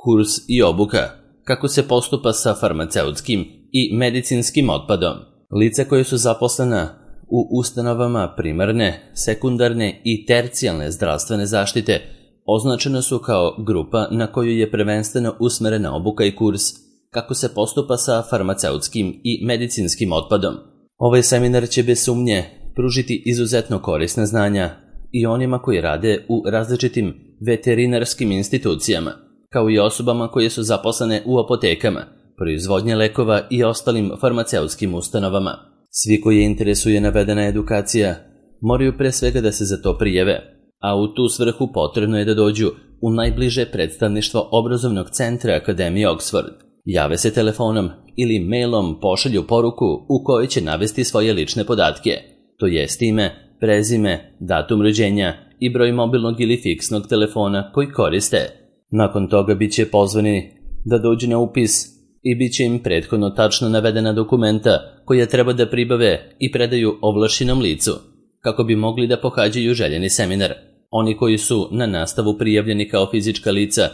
Kurs i obuka. Kako se postupa sa farmaceutskim i medicinskim otpadom. Lica koje su zaposlena u ustanovama primarne, sekundarne i tercijalne zdravstvene zaštite označena su kao grupa na koju je prvenstveno usmerena obuka i kurs kako se postupa sa farmaceutskim i medicinskim otpadom. Ovaj seminar će bez sumnje pružiti izuzetno korisna znanja i onima koji rade u različitim veterinarskim institucijama, kao i osobama koje su zaposlene u apotekama, proizvodnje lekova i ostalim farmaceutskim ustanovama. Svi koji interesuje navedena edukacija moraju pre svega da se za to prijave, a u tu svrhu potrebno je da dođu u najbliže predstavništvo obrazovnog centra Akademije Oxford. Jave se telefonom ili mailom, pošalju poruku u kojoj će navesti svoje lične podatke, to jest ime, prezime, datum rođenja i broj mobilnog ili fiksnog telefona koji koriste. Nakon toga bit će pozvani da dođu na upis i bit će im prethodno tačno navedena dokumenta koja treba da pribave i predaju ovlašćenom licu, kako bi mogli da pohađaju željeni seminar. Oni koji su na nastavu prijavljeni kao fizička lica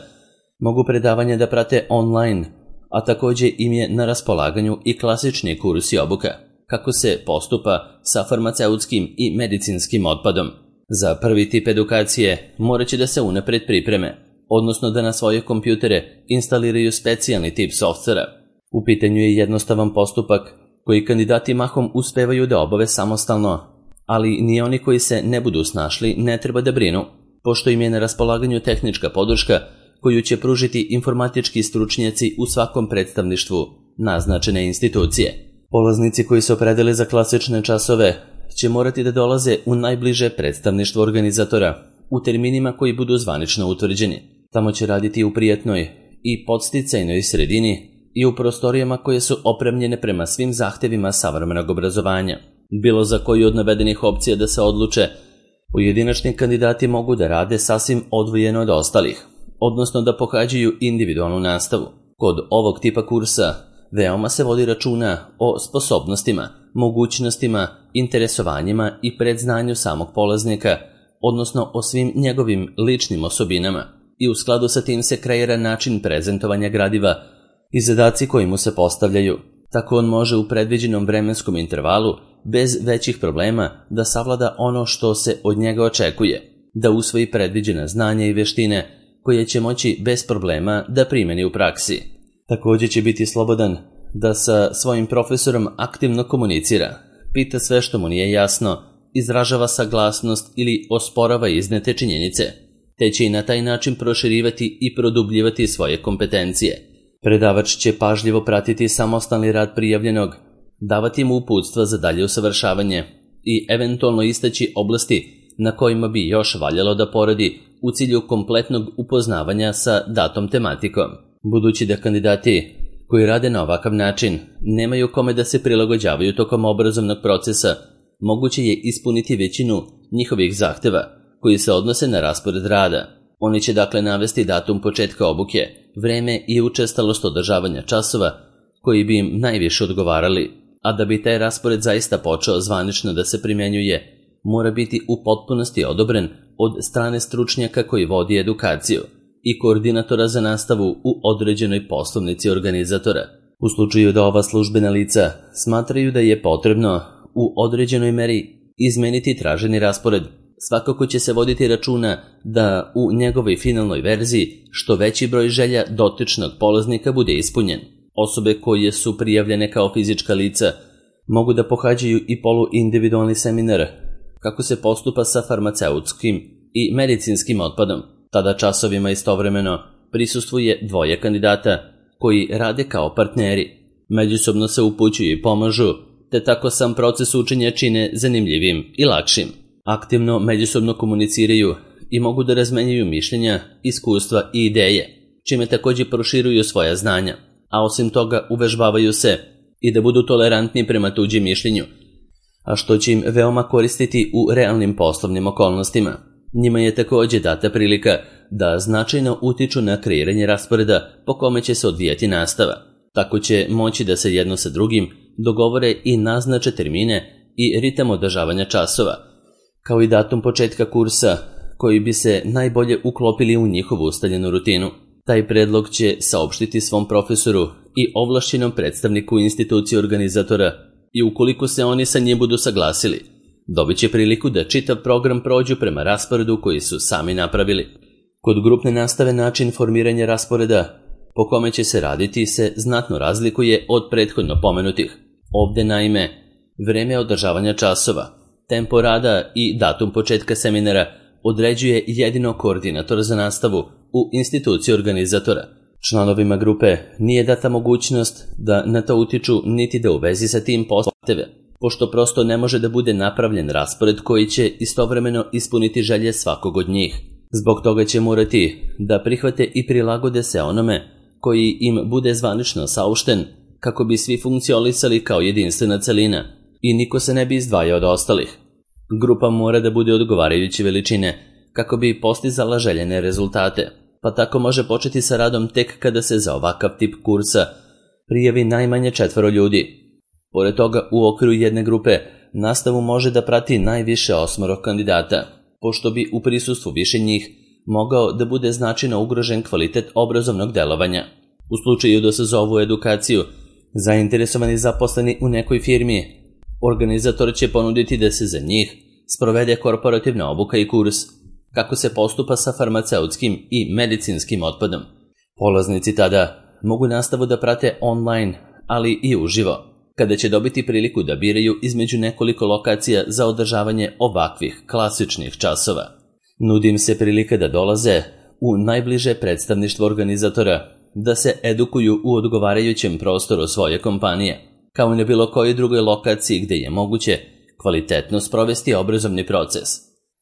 mogu predavanje da prate online, a takođe im je na raspolaganju i klasični kurs i obuka, kako se postupa sa farmaceutskim i medicinskim otpadom. Za prvi tip edukacije morat će da se unapred pripreme, odnosno da na svoje kompjutere instaliraju specijalni tip softvera. U pitanju je jednostavan postupak koji kandidati mahom uspevaju da obave samostalno, ali ni oni koji se ne budu snašli ne treba da brinu, pošto im je na raspolaganju tehnička podrška koju će pružiti informatički stručnjaci u svakom predstavništvu naznačene institucije. Polaznici koji se opredele za klasične časove će morati da dolaze u najbliže predstavništvo organizatora u terminima koji budu zvanično utvrđeni. Tamo će raditi u prijatnoj i podsticajnoj sredini i u prostorijama koje su opremljene prema svim zahtevima savremenog obrazovanja. Bilo za koju od navedenih opcija da se odluče, pojedinačni kandidati mogu da rade sasvim odvojeno od ostalih, odnosno da pohađaju individualnu nastavu. Kod ovog tipa kursa veoma se vodi računa o sposobnostima, mogućnostima, interesovanjima i predznanju samog polaznika, odnosno o svim njegovim ličnim osobinama, i u skladu sa tim se kreira način prezentovanja gradiva i zadaci koji mu se postavljaju. Tako on može u predviđenom vremenskom intervalu bez većih problema da savlada ono što se od njega očekuje, da usvoji predviđena znanja i veštine koje će moći bez problema da primeni u praksi. Također će biti slobodan da sa svojim profesorom aktivno komunicira, pita sve što mu nije jasno, izražava saglasnost ili osporava iznete činjenice, te će i na taj način proširivati i produbljivati svoje kompetencije. Predavač će pažljivo pratiti samostalni rad prijavljenog, davati mu uputstva za dalje usavršavanje i eventualno istaći oblasti na kojima bi još valjalo da poradi u cilju kompletnog upoznavanja sa datom tematikom. Budući da kandidati koji rade na ovakav način nemaju kome da se prilagođavaju tokom obrazovnog procesa, moguće je ispuniti većinu njihovih zahteva koji se odnose na raspored rada. Oni će dakle navesti datum početka obuke, vreme i učestalost održavanja časova koji bi im najviše odgovarali, a da bi taj raspored zaista počeo zvanično da se primenjuje, mora biti u potpunosti odobren od strane stručnjaka koji vodi edukaciju i koordinatora za nastavu u određenoj poslovnici organizatora. U slučaju da ova službena lica smatraju da je potrebno u određenoj meri izmeniti traženi raspored, svakako će se voditi računa da u njegovoj finalnoj verziji što veći broj želja dotičnog polaznika bude ispunjen. Osobe koje su prijavljene kao fizička lica mogu da pohađaju i poluindividualni seminar kako se postupa sa farmaceutskim i medicinskim otpadom. Tada časovima istovremeno prisustvuje dvoje kandidata koji rade kao partneri. Međusobno se upućuju i pomažu, te tako sam proces učenja čine zanimljivim i lakšim. Aktivno međusobno komuniciraju i mogu da razmenjuju mišljenja, iskustva i ideje, čime također proširuju svoja znanja, a osim toga uvežbavaju se i da budu tolerantni prema tuđim mišljenju, a što će im veoma koristiti u realnim poslovnim okolnostima. Njima je također data prilika da značajno utiču na kreiranje rasporeda po kome će se odvijati nastava. Tako će moći da se jedno sa drugim dogovore i naznače termine i ritam održavanja časova, kao i datum početka kursa koji bi se najbolje uklopili u njihovu ustaljenu rutinu. Taj predlog će saopštiti svom profesoru i ovlašćenom predstavniku institucije organizatora i ukoliko se oni sa njim budu saglasili, dobit će priliku da čitav program prođu prema rasporedu koji su sami napravili. Kod grupne nastave način formiranja rasporeda po kome će se raditi se znatno razlikuje od prethodno pomenutih. Ovde naime, vreme održavanja časova, tempo rada i datum početka seminara određuje jedino koordinator za nastavu u instituciji organizatora. Članovima grupe nije data mogućnost da na to utiču niti da u vezi sa tim postave, pošto prosto ne može da bude napravljen raspored koji će istovremeno ispuniti želje svakog od njih. Zbog toga će morati da prihvate i prilagode se onome koji im bude zvanično saopšten kako bi svi funkcionisali kao jedinstvena celina i niko se ne bi izdvajao od ostalih. Grupa mora da bude odgovarajuće veličine kako bi postizala željene rezultate, pa tako može početi sa radom tek kada se za ovakav tip kursa prijavi najmanje 4 ljudi. Pored toga, u okviru jedne grupe nastavu može da prati najviše 8 kandidata, pošto bi u prisustvu više njih mogao da bude značajno ugrožen kvalitet obrazovnog delovanja. U slučaju da se za ovu edukaciju zainteresovani zaposleni u nekoj firmi, organizator će ponuditi da se za njih sprovede korporativna obuka i kurs kako se postupa sa farmaceutskim i medicinskim otpadom. Polaznici tada mogu nastavu da prate online, ali i uživo, kada će dobiti priliku da biraju između nekoliko lokacija za održavanje ovakvih klasičnih časova. Nudim se prilika da dolaze u najbliže predstavništvo organizatora, da se edukuju u odgovarajućem prostoru svoje kompanije, kao i na bilo kojoj drugoj lokaciji gde je moguće kvalitetno sprovesti obrazovni proces.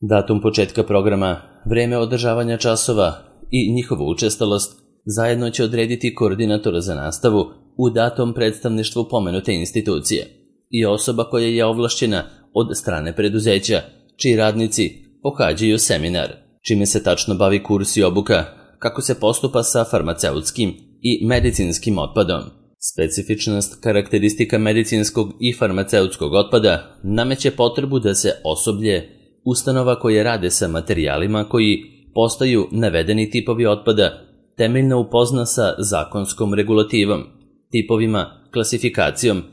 Datum početka programa, vreme održavanja časova i njihovu učestalost zajedno će odrediti koordinator za nastavu u datom predstavništvu pomenute institucije i osoba koja je ovlašćena od strane preduzeća, čiji radnici pohađaju seminar, čime se tačno bavi kurs i obuka, kako se postupa sa farmaceutskim i medicinskim otpadom. Specifičnost karakteristika medicinskog i farmaceutskog otpada nameće potrebu da se osoblje ustanova koje rade sa materijalima koji postaju navedeni tipovi otpada temeljno upozna sa zakonskom regulativom, tipovima, klasifikacijom,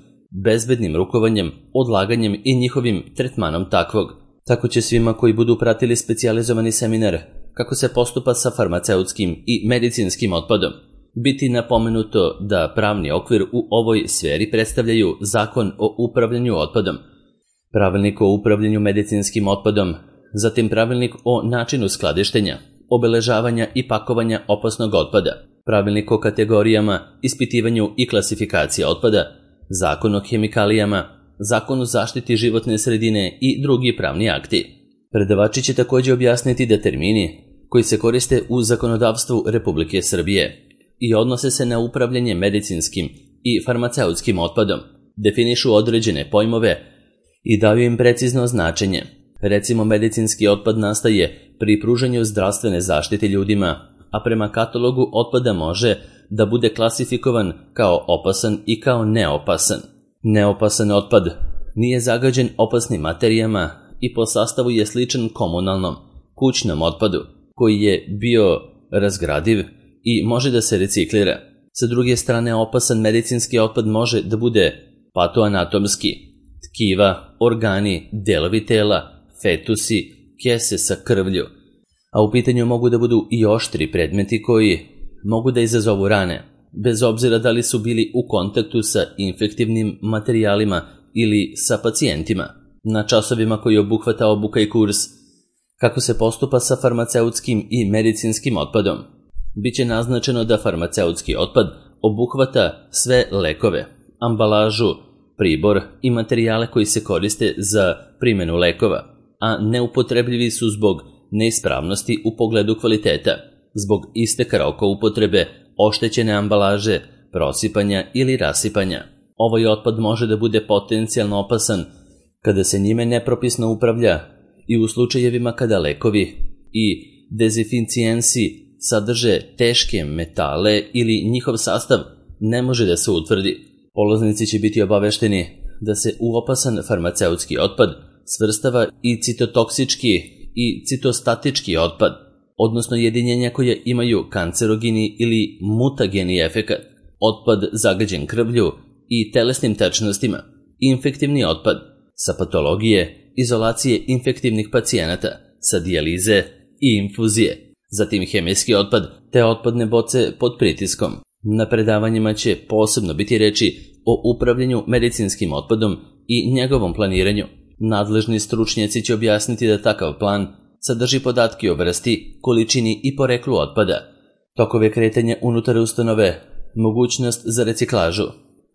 bezbednim rukovanjem, odlaganjem i njihovim tretmanom takvog. Tako će svima koji budu pratili specijalizovani seminar kako se postupa sa farmaceutskim i medicinskim otpadom biti napomenuto da pravni okvir u ovoj sferi predstavljaju Zakon o upravljanju otpadom, Pravilnik o upravljanju medicinskim otpadom, zatim Pravilnik o načinu skladištenja, obeležavanja i pakovanja opasnog otpada, Pravilnik o kategorijama, ispitivanju i klasifikaciji otpada, Zakon o hemikalijama, Zakon o zaštiti životne sredine i drugi pravni akti. Predavači će također objasniti da termini koji se koriste u zakonodavstvu Republike Srbije i odnose se na upravljanje medicinskim i farmaceutskim otpadom, definišu određene pojmove i daju im precizno značenje. Recimo, medicinski otpad nastaje pri pružanju zdravstvene zaštite ljudima, a prema katalogu otpada može da bude klasifikovan kao opasan i kao neopasan. Neopasan otpad nije zagađen opasnim materijama i po sastavu je sličan komunalnom, kućnom otpadu, koji je bio razgradiv i može da se reciklira. Sa druge strane, opasan medicinski otpad može da bude patoanatomski, tkiva, organi, delovi tela, fetusi, kese sa krvlju, a u pitanju mogu da budu i oštri predmeti koji mogu da izazovu rane, bez obzira da li su bili u kontaktu sa infektivnim materijalima ili sa pacijentima. Na časovima koji obuhvata obuka i kurs kako se postupa sa farmaceutskim i medicinskim otpadom, biće naznačeno da farmaceutski otpad obuhvata sve lekove, ambalažu, pribor i materijale koji se koriste za primjenu lekova, a neupotrebljivi su zbog neispravnosti u pogledu kvaliteta, zbog isteka roka upotrebe, oštećene ambalaže, prosipanja ili rasipanja. Ovaj otpad može da bude potencijalno opasan kada se njime nepropisno upravlja i u slučajevima kada lekovi i dezinficijensi sadrže teške metale ili njihov sastav ne može da se utvrdi. Polaznici će biti obavešteni da se u opasan farmaceutski otpad svrstava i citotoksički i citostatički otpad. odnosno jedinjenja koje imaju kancerogeni ili mutageni efekat, otpad zagađen krvlju i telesnim tečnostima, infektivni otpad sa patologije, izolacije infektivnih pacijenata, sa dijalize i infuzije, zatim hemijski otpad te otpadne boce pod pritiskom. Na predavanjima će posebno biti reči o upravljanju medicinskim otpadom i njegovom planiranju. Nadležni stručnjaci će objasniti da takav plan sadrži podatke o vrsti, količini i poreklu otpada, tokove kretanja unutar ustanove, mogućnost za reciklažu,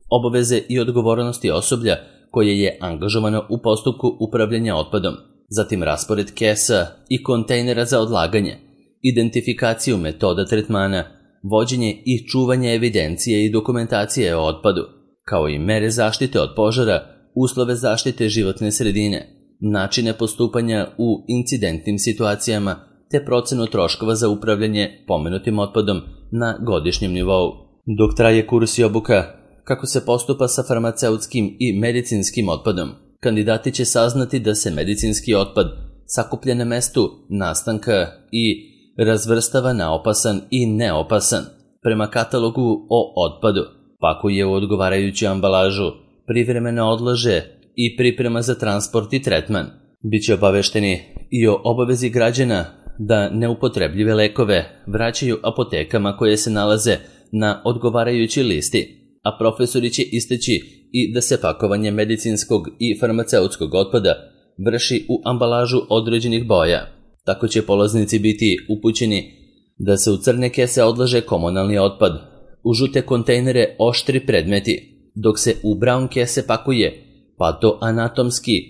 obaveze i odgovornosti osoblja koje je angažovano u postupku upravljanja otpadom, zatim raspored kesa i kontejnera za odlaganje, identifikaciju metoda tretmana, vođenje i čuvanje evidencije i dokumentacije o otpadu, kao i mere zaštite od požara, uslove zaštite životne sredine, načine postupanja u incidentnim situacijama te procenu troškova za upravljanje pomenutim otpadom na godišnjem nivou. Dok traje kurs i obuka kako se postupa sa farmaceutskim i medicinskim otpadom, kandidati će saznati da se medicinski otpad sakuplja na mestu nastanka i razvrstava na opasan i neopasan prema katalogu o otpadu, pakuje u odgovarajuću ambalažu, privremeno odlaže i priprema za transport i tretman. Biće obavešteni i o obavezi građana da neupotrebljive lekove vraćaju apotekama koje se nalaze na odgovarajućoj listi, a profesori će istaći i da se pakovanje medicinskog i farmaceutskog otpada vrši u ambalažu određenih boja. Tako će polaznici biti upućeni da se u crne kese odlaže komunalni otpad, u žute kontejnere oštri predmeti, dok se u brown kese pakuje patoanatomski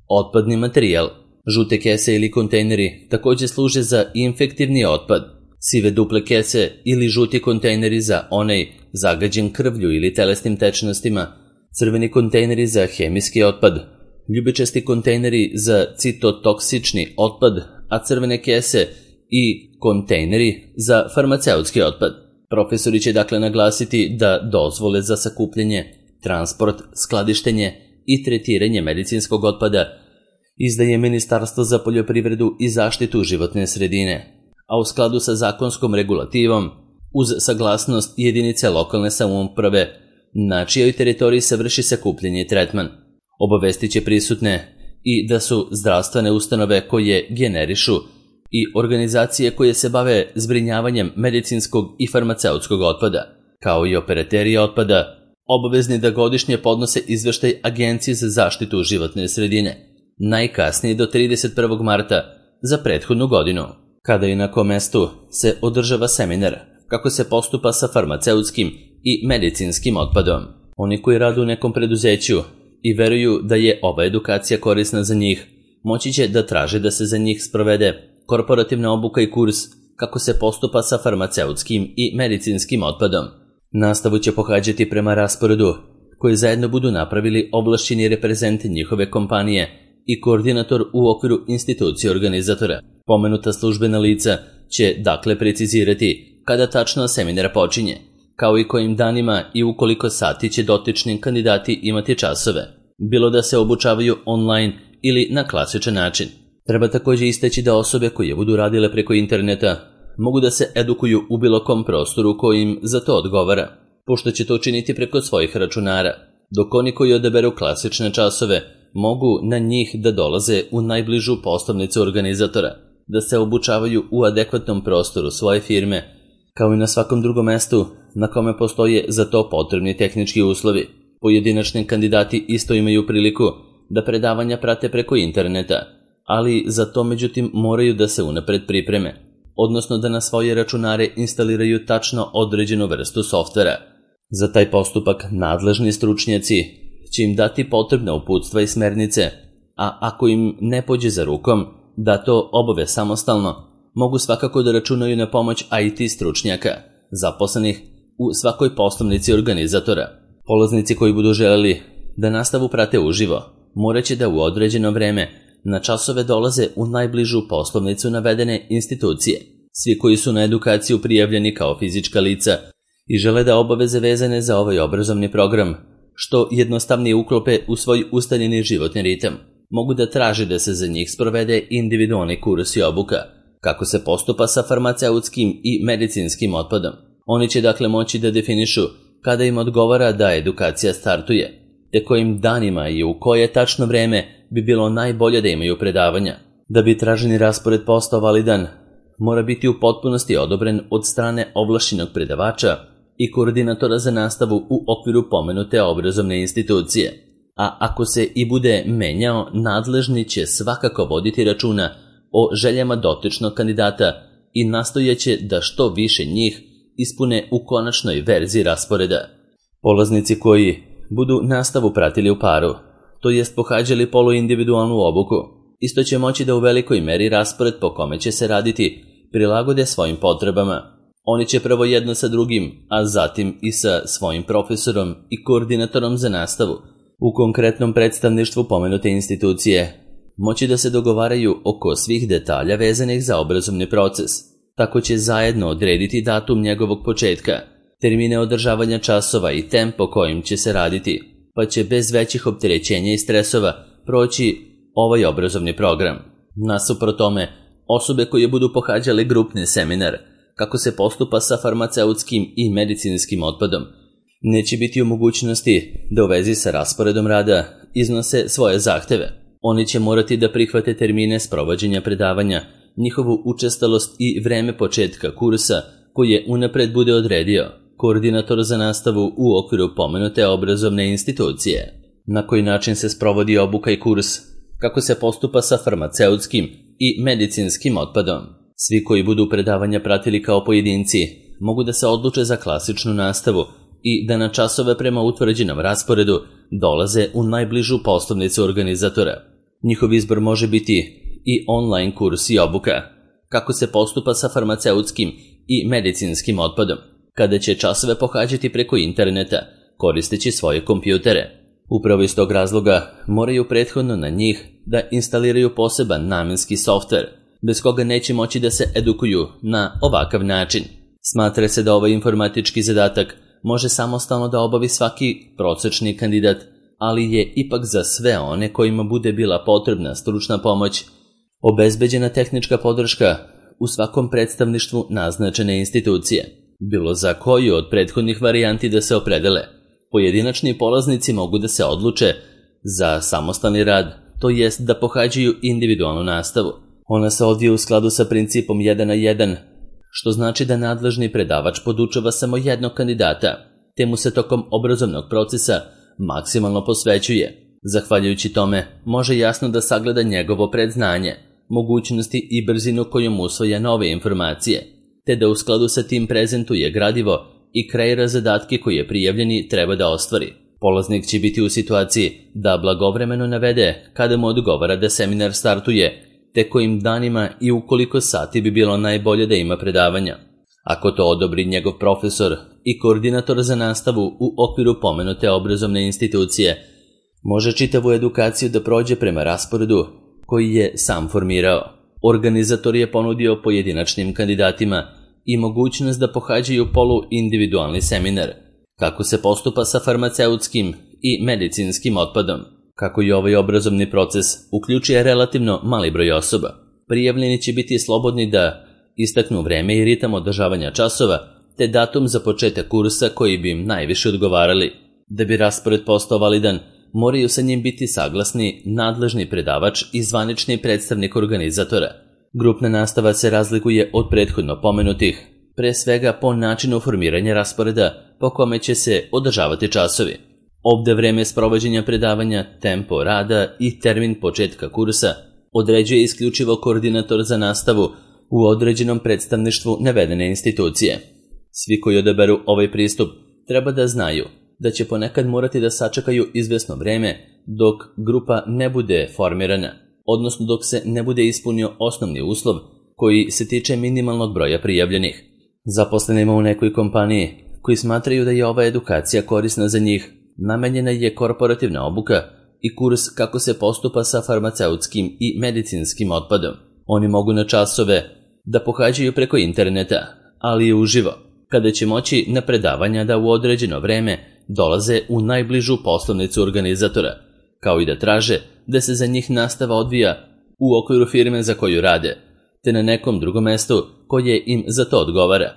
otpadni materijal. Žute kese ili kontejneri također služe za infektivni otpad, sive duple kese ili žuti kontejneri za onaj zagađen krvlju ili telesnim tečnostima, crveni kontejneri za hemijski otpad, ljubičasti kontejneri za citotoksični otpad, a crvene kese i kontejneri za farmaceutski otpad. Profesori će dakle naglasiti da dozvole za sakupljanje, transport, skladištenje i tretiranje medicinskog otpada izdaje Ministarstvo za poljoprivredu i zaštitu životne sredine, a u skladu sa zakonskom regulativom, uz saglasnost jedinice lokalne samouprave, na čijoj teritoriji se vrši sakupljanje i tretman. Obavestit će prisutne i da su zdravstvene ustanove koje generišu i organizacije koje se bave zbrinjavanjem medicinskog i farmaceutskog otpada, kao i operateri otpada, obavezni da godišnje podnose izveštaj Agenciji za zaštitu životne sredine, najkasnije do 31. marta za prethodnu godinu, kada i na kom mestu se održava seminar kako se postupa sa farmaceutskim i medicinskim otpadom. Oni koji rade u nekom preduzeću i veruju da je ova edukacija korisna za njih, moći će da traže da se za njih sprovede korporativna obuka i kurs kako se postupa sa farmaceutskim i medicinskim otpadom. Nastavu će pohađati prema rasporedu koji zajedno budu napravili ovlašćeni reprezenti njihove kompanije i koordinator u okviru institucije organizatora. Pomenuta službena lica će dakle precizirati kada tačno seminar počinje, kao i kojim danima i u koliko sati će dotični kandidati imati časove, bilo da se obučavaju online ili na klasičan način. Treba također istaći da osobe koje budu radile preko interneta mogu da se edukuju u bilo kom prostoru kojim za to odgovara, pošto će to činiti preko svojih računara, dok oni koji odaberu klasične časove mogu na njih da dolaze u najbližu poslovnicu organizatora, da se obučavaju u adekvatnom prostoru svoje firme, kao i na svakom drugom mestu na kome postoje za to potrebni tehnički uslovi. Pojedinačni kandidati isto imaju priliku da predavanja prate preko interneta, ali za to međutim moraju da se unapred pripreme, odnosno da na svoje računare instaliraju tačno određenu vrstu softvera. Za taj postupak nadležni stručnjaci će im dati potrebna uputstva i smernice, a ako im ne pođe za rukom da to obave samostalno, mogu svakako da računaju na pomoć IT stručnjaka, zaposlenih u svakoj poslovnici organizatora. Polaznici koji budu želeli da nastavu prate uživo, morat će da u određeno vreme na časove dolaze u najbližu poslovnicu navedene institucije. Svi koji su na edukaciju prijavljeni kao fizička lica i žele da obaveze vezane za ovaj obrazovni program što jednostavnije uklope u svoj ustaljeni životni ritam, mogu da traže da se za njih sprovede individualni kurs i obuka, kako se postupa sa farmaceutskim i medicinskim otpadom. Oni će dakle moći da definišu kada im odgovara da edukacija startuje, te kojim danima i u koje tačno vreme bi bilo najbolje da imaju predavanja. Da bi traženi raspored postao validan, mora biti u potpunosti odobren od strane ovlašćenog predavača i koordinatora za nastavu u okviru pomenute obrazovne institucije. A ako se i bude menjao, nadležni će svakako voditi računa o željama dotičnog kandidata i nastojeće da što više njih ispune u konačnoj verziji rasporeda. Polaznici koji budu nastavu pratili u paru, to jest pohađali poluindividualnu obuku, isto će moći da u velikoj meri raspored po kome će se raditi prilagode svojim potrebama. Oni će prvo jedno sa drugim, a zatim i sa svojim profesorom i koordinatorom za nastavu u konkretnom predstavništvu pomenute institucije moći da se dogovaraju oko svih detalja vezanih za obrazovni proces. Tako će zajedno odrediti datum njegovog početka, termine održavanja časova i tempo kojim će se raditi, pa će bez većih opterećenja i stresova proći ovaj obrazovni program. Nasuprot tome, osobe koje budu pohađale grupni seminar, kako se postupa sa farmaceutskim i medicinskim otpadom, neće biti u mogućnosti da u vezi sa rasporedom rada iznose svoje zahteve. Oni će morati da prihvate termine sprovođenja predavanja, njihovu učestalost i vreme početka kursa koje unapred bude odredio koordinator za nastavu u okviru pomenute obrazovne institucije. Na koji način se sprovodi obuka i kurs, kako se postupa sa farmaceutskim i medicinskim otpadom. Svi koji budu predavanja pratili kao pojedinci mogu da se odluče za klasičnu nastavu i da na časove prema utvrđenom rasporedu dolaze u najbližu poslovnicu organizatora. Njihov izbor može biti i online kurs i obuka, kako se postupa sa farmaceutskim i medicinskim otpadom, kada će časove pohađati preko interneta, koristeći svoje kompjutere. Upravo iz tog razloga moraju prethodno na njih da instaliraju poseban namenski softver, bez koga neće moći da se edukuju na ovakav način. Smatra se da ovaj informatički zadatak može samostalno da obavi svaki prosečni kandidat, ali je ipak za sve one kojima bude bila potrebna stručna pomoć obezbeđena tehnička podrška u svakom predstavništvu naznačene institucije. Bilo za koju od prethodnih varijanti da se opredele, pojedinačni polaznici mogu da se odluče za samostalni rad, to jest da pohađaju individualnu nastavu. Ona se odvija u skladu sa principom 1 na 1, što znači da nadležni predavač podučava samo jednog kandidata, te mu se tokom obrazovnog procesa maksimalno posvećuje. Zahvaljujući tome, može jasno da sagleda njegovo predznanje, mogućnosti i brzinu kojom usvaja nove informacije, te da u skladu sa tim prezentuje gradivo i kreira zadatke koje prijavljeni treba da ostvari. Polaznik će biti u situaciji da blagovremeno navede kada mu odgovara da seminar startuje, te kojim danima i u koliko sati bi bilo najbolje da ima predavanja. Ako to odobri njegov profesor i koordinator za nastavu u okviru pomenute obrazovne institucije, može čitavu edukaciju da prođe prema rasporedu koji je sam formirao. Organizator je ponudio pojedinačnim kandidatima i mogućnost da pohađaju poluindividualni seminar, kako se postupa sa farmaceutskim i medicinskim otpadom. Kako i ovaj obrazovni proces uključuje relativno mali broj osoba, prijavljeni će biti slobodni da istaknu vreme i ritam održavanja časova, te datum za početak kursa koji bi im najviše odgovarali. Da bi raspored postao validan, moraju sa njim biti saglasni nadležni predavač i zvanični predstavnik organizatora. Grupna nastava se razlikuje od prethodno pomenutih, pre svega po načinu formiranja rasporeda po kome će se održavati časovi. Ovde vreme sprovođenja predavanja, tempo rada i termin početka kursa određuje isključivo koordinator za nastavu u određenom predstavništvu navedene institucije. Svi koji odaberu ovaj pristup treba da znaju da će ponekad morati da sačekaju izvesno vreme dok grupa ne bude formirana, odnosno dok se ne bude ispunio osnovni uslov koji se tiče minimalnog broja prijavljenih. Zaposlenima u nekoj kompaniji koji smatraju da je ova edukacija korisna za njih, namenjena je korporativna obuka i kurs kako se postupa sa farmaceutskim i medicinskim otpadom. Oni mogu na časove da pohađaju preko interneta, ali i uživo, kada će moći na predavanja da u određeno vreme dolaze u najbližu poslovnicu organizatora, kao i da traže da se za njih nastava odvija u okviru firme za koju rade, te na nekom drugom mestu koje im za to odgovara.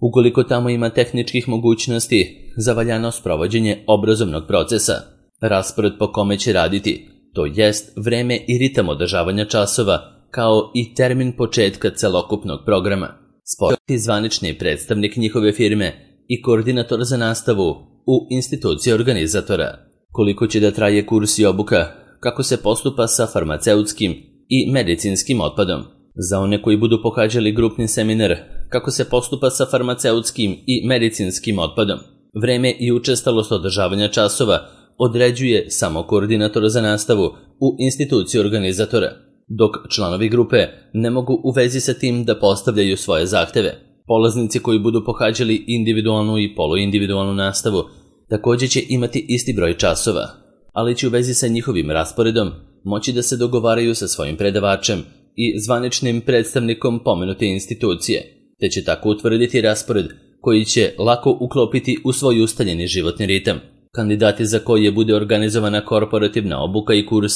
Ukoliko tamo ima tehničkih mogućnosti za valjano sprovođenje obrazovnog procesa, raspored po kome će raditi, to jest vreme i ritam održavanja časova, kao i termin početka celokupnog programa. Spojiti zvanični predstavnik njihove firme i koordinator za nastavu u instituciji organizatora. Koliko će da traje kurs i obuka, kako se postupa sa farmaceutskim i medicinskim otpadom. Za one koji budu pohađali grupni seminar, kako se postupa sa farmaceutskim i medicinskim otpadom. Vreme i učestalost održavanja časova određuje samo koordinator za nastavu u instituciji organizatora, dok članovi grupe ne mogu u vezi sa tim da postavljaju svoje zahteve. Polaznici koji budu pohađali individualnu i poluindividualnu nastavu također će imati isti broj časova, ali će u vezi sa njihovim rasporedom moći da se dogovaraju sa svojim predavačem i zvaničnim predstavnikom pomenute institucije, te će tako utvrditi raspored koji će lako uklopiti u svoj ustaljeni životni ritam. Kandidati za koje bude organizovana korporativna obuka i kurs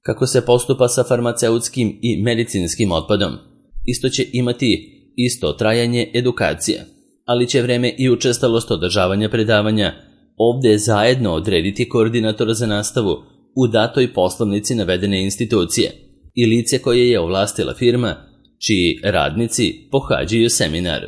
kako se postupa sa farmaceutskim i medicinskim otpadom, isto će imati isto trajanje edukacije, ali će vreme i učestalost održavanja predavanja ovdje zajedno odrediti koordinator za nastavu u datoj poslovnici navedene institucije i lice koje je ovlastila firma čiji radnici pohađaju seminar.